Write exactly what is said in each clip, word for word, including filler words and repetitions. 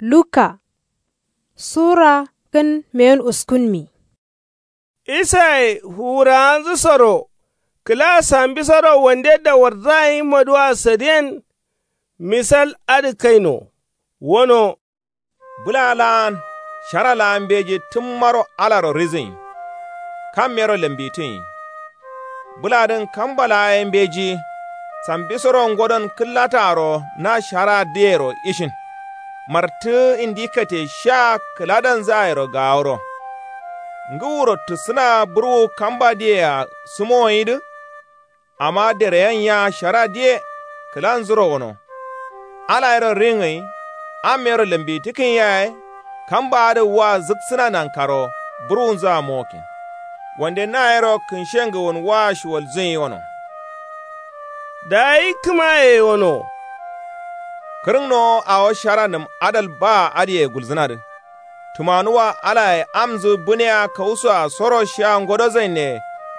Luka sura kǝn meyen uskunmi. Isaye fuwurawanzǝsoro kǝla sambisoro wande dawarzayin maduwa sadiyen. Misal adǝ kaino wono. Bǝla la'an shara la'an mbeji tǝmmaro alaro rizǝnyi. Kam yero lambitǝnyi. Bǝladǝn kamba laa ye mbeji sambisoro ngodon kǝllataaro na shara dǝyero ishin. Martǝ indi kate sha kǝladanzǝ yero gaworo. Ngǝwuro tǝsǝna bǝrwu kamba dǝyea sǝmowonyidǝ. Amma dereyen ya shara diye kǝlanzuro wono. Ala yero ringǝnyi am yero lambitǝkǝnyi yaye. Kamba adǝ wa zǝksǝna nankaro bǝrwunzǝa mowokin. Wande na yero kǝnshengǝwun wa shuwalzǝnyi wono. Dayi kǝmaye wono. Kǝrǝngnowo awo sharanǝm adal baa adǝye gulzǝnadǝ. Tǝmanuwa alaye amzǝ bǝneya kawusoa soro shiya ngodozainne.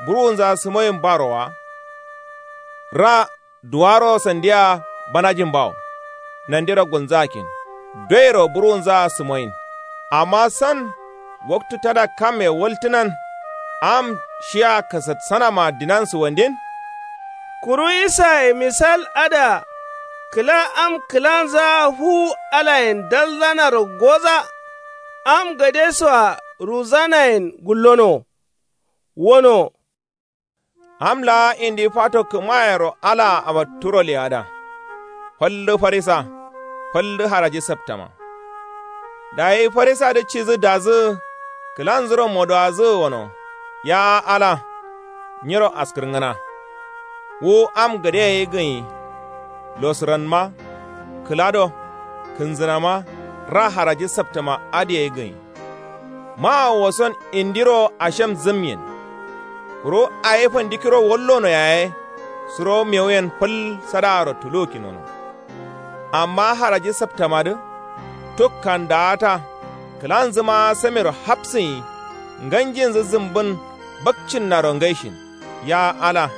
Bǝrwunzǝa sǝmoyin baro wa. Ra duwaro sandiya banajin bawo. Nandiro gulnzakin doyero bǝrwunzǝa sǝmoyin. Amma san waktu tada kamme waltǝnan. Am shiya kasatsanama dinan sǝwandin. Kuru isaye misal adǝa kǝla am kǝlanzǝa fuwu alayen dalzanaro goza. Am gadesoa ruzanayen gullono. Wono. Am laa indi fato kǝmayero alaa abatturo leyada. Fal dǝ farisa fal dǝ haraji saptama. Dayi farisadǝ cidǝ dazǝ kǝlanzuro modowadǝ wono. Ya ala nyiro askǝrngǝna. Wu am gade ye gǝnyi. Losǝranma kǝlado kǝnzǝnama ra haraji saptama adǝ ye gǝnyi. Mawo woson indiro ashem zǝmyen. Kuru awi fandikiro wallono yaye suro mewuyen fal sadaaro tuluwukkin wono. Amma haraji saptamadǝ tuk kandawata kǝlanzǝma samiro hapsǝnyi. Nganjinzǝ zǝmbǝn bakcinnaro ngaishin. Ya ala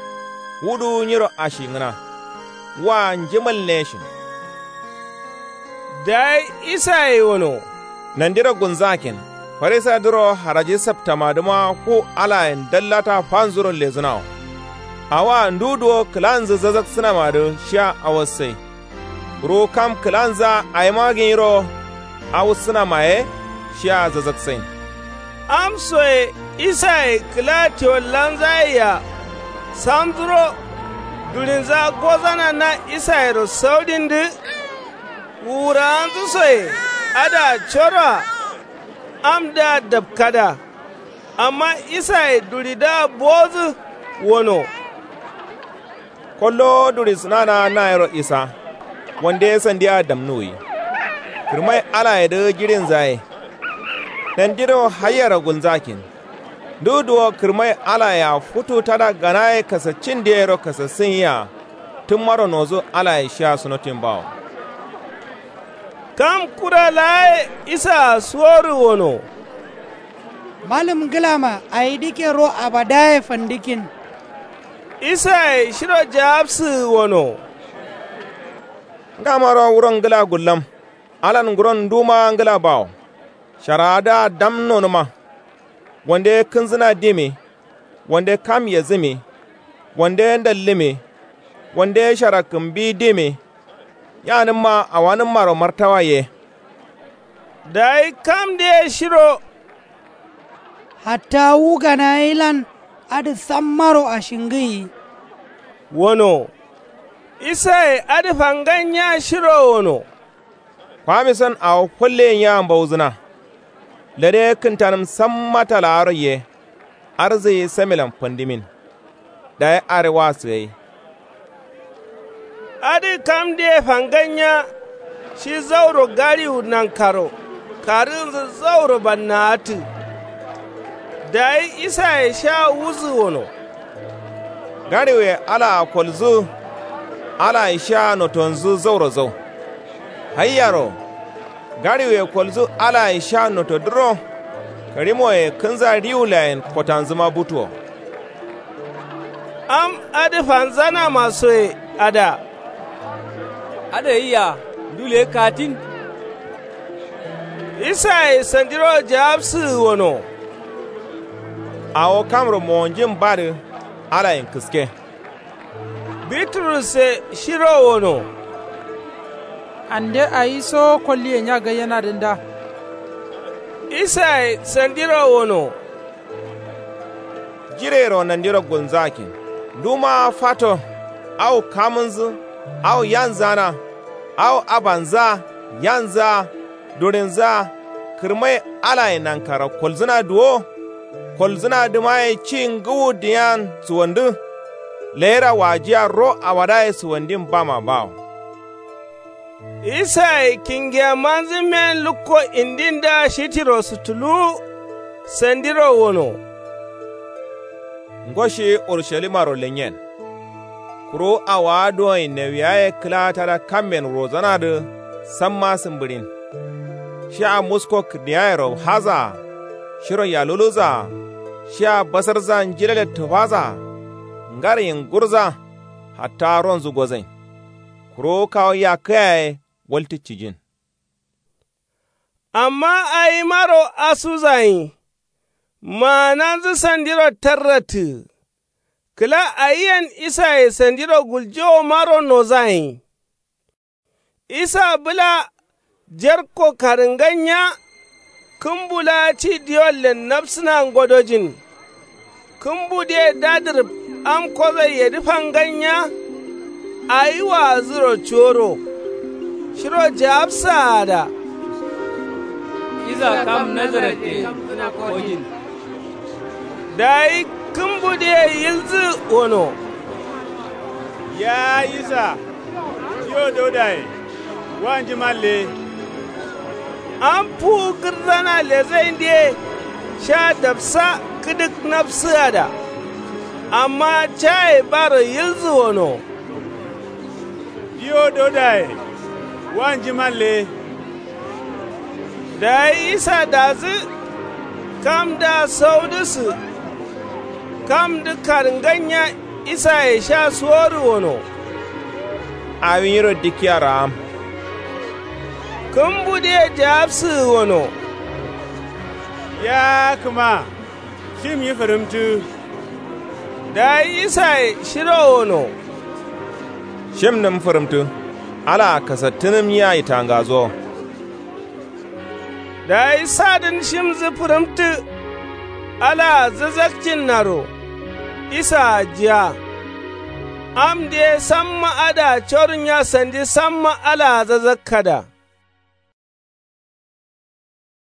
wuduwu nyiro ashingǝna. Wa njimal neshin. Dayi isaye wono. Nandiro gulnzakin farisadǝro haraji saptamadǝma fu alayen dallata fanzuro lezǝnawo. Awoa ndu duwo kǝlanzǝ zazaksǝnamadǝ shiya awassai. Kuru kam kǝlanzǝa awima gǝnyiro awussǝnama ye shiya zazaksain. Amsoye isaye kǝla tewallanzayea samzuro durinzǝa gozana na isayero saudindǝ. Wuwurawanzǝsoye adǝa coroa amdǝa dapkada. Amma isaye duridǝa bowodǝ wono. Kollo durisǝnana nayiro isa wande sandiya damnuwwi. Kǝrmai alayedǝ jiɍinza ye. Nandiro haiyaro gulnzakin. Ndu duwo kǝrmai alayea futu tada ganaye kasaccin diyero kasassǝn yea. Tǝmmaro nodǝ alaye shiya sunotin bawo. Kam kura laa ye isaa suworǝ wono. Malǝm ngǝlama awi dǝkke ro abadaye fandǝkkin. Isaye shiro jawabsǝ wono. Ngamaro wuron ngǝla gullam. Alan nguron nduma ngǝla bawo. Sharadǝa dam nonǝma. Wande kǝnzǝna dimi. Wande kam yezǝmi. Wande ndallǝmi. Wande shara kǝmbi dimi. Yanǝmma awanǝmmaro martawa ye. Dayi kamdǝye shiro. Hatta wu ganayelan adǝ sammaro ashingǝyi. Wono. Isaye adǝ fangan nya shiro wono. Kwamison awo falleyin yea mbauzǝna. Lade kǝntanǝm samma talaaro ye. Arzǝ ye samilan fandimin. Dayi are wa sǝgai. Adǝ kamdǝye fangan nya. Shi zauro gariwu nankaro karǝnzǝ zauro banna'atǝ. Dayi isaye sha wuzǝ wono. Gariwuye alaa kolzǝ. Alaye sha notonzǝ zauro zau. Haiyaro gariwuye kolzǝ alaye sha notodǝro. Karimoye kǝnza riwulayen kotanzǝma butuwo. Am adǝ fanzanamasoye ada. Adǝ gaiya ndu leye katin. Isaye sandiro jaabsǝgǝ wono. Awo kamro mowonjin badǝ alayen kǝske. Biturus ye shiro wono. Ande awi sowo kolliye nya gaiyenadǝ nda? Isaye sandiro wono. Jireyero nandiro gulnzakin. Nduma fato, au kamǝnzǝ, au yanzǝ-a na, au abanzǝ-a, yanzǝ-a, durinzǝ-a, kǝrmai alaye nankaro kolzǝna duwo. Kolzǝnadǝma ye ci ngǝwu diyean suwandǝ. Leyira wajiya ro awadaye suwandin bama bawo. Isaye kingiyamanzǝ men lukko indindǝa shitirosu tuluwu. Sandiro wono. Ngo shi urushalimaro lenyen. Kuru awaa duwonyi newiyaye kǝla tada kamben wurozanadǝ. Samma sǝmbǝɍin. Shia musko kǝrdiyayero haza-a. Shiro yaluluza-a. Shia basarzan jilale tǝfaza-a. Ngaryin gurza. Hatta ronzǝ gozain. Kuru kawu yakkǝ yaye waltǝ cijin. Amma awimaro asuzayin. Maananzǝ sandiro tarrattǝgǝ. Kǝla awiyen isaye sandiro guljewomaro nozayin. Isa bǝla jerko karǝngannya. Kǝmbu laa ci diwollen nabsǝna ngodojin. Kǝmbudǝye dadǝrǝb am kozoiyedǝ fanggannya. Awi waazǝro cuworo. Shiro jaabsaada. Isa kam nazaretde. Kojin. Dayi kǝmbudǝye yilzǝ wono. Yaa isa, tiyo daudaye, wanjiman le. Am fuwu gǝrzana lezaindǝye sha dabsa kǝdǝk nabsǝgada. Amma caye baro yilzǝ wono. Tiyo daudaye, wanjiman le. Dayi isa dazǝ. Kamdǝa saudǝsǝ. Kamdǝ karǝngannya isaye sha suworǝ wono. Awi nyiro dikkiya raam. Kǝmbudǝye jaabsǝgǝ wono. Yaa kǝma. Shim nyi fǝrǝmtǝ. Dayi isaye shiro wono. Shim nǝm fǝrǝmtǝ. Alaa kasattǝnǝm nyi ayi tangazo. Dayi sadǝn shimnzǝ fǝrǝmtǝ. Alaa zazakcinnaro. Isaa jiya. Amdǝ ye samma adǝa corǝnya sandi samma alaa zazakkada.